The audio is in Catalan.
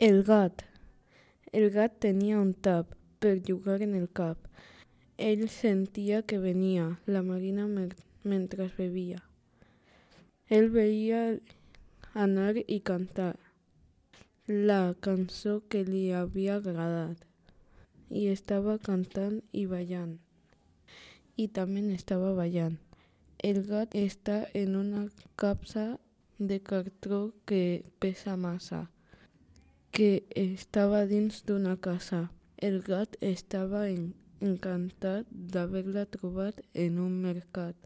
El gat. El gat tenia un tap per jugar en el cap. Ell sentia que venia la Marina mentre bevia. Ell veia anar i cantar la cançó que li havia agradat i estava cantant i ballant. I també estava ballant. El gat està en una capsa de cartró que pesa massa, que estava dins d'una casa. El gat estava encantat d'haver-la trobat en un mercat.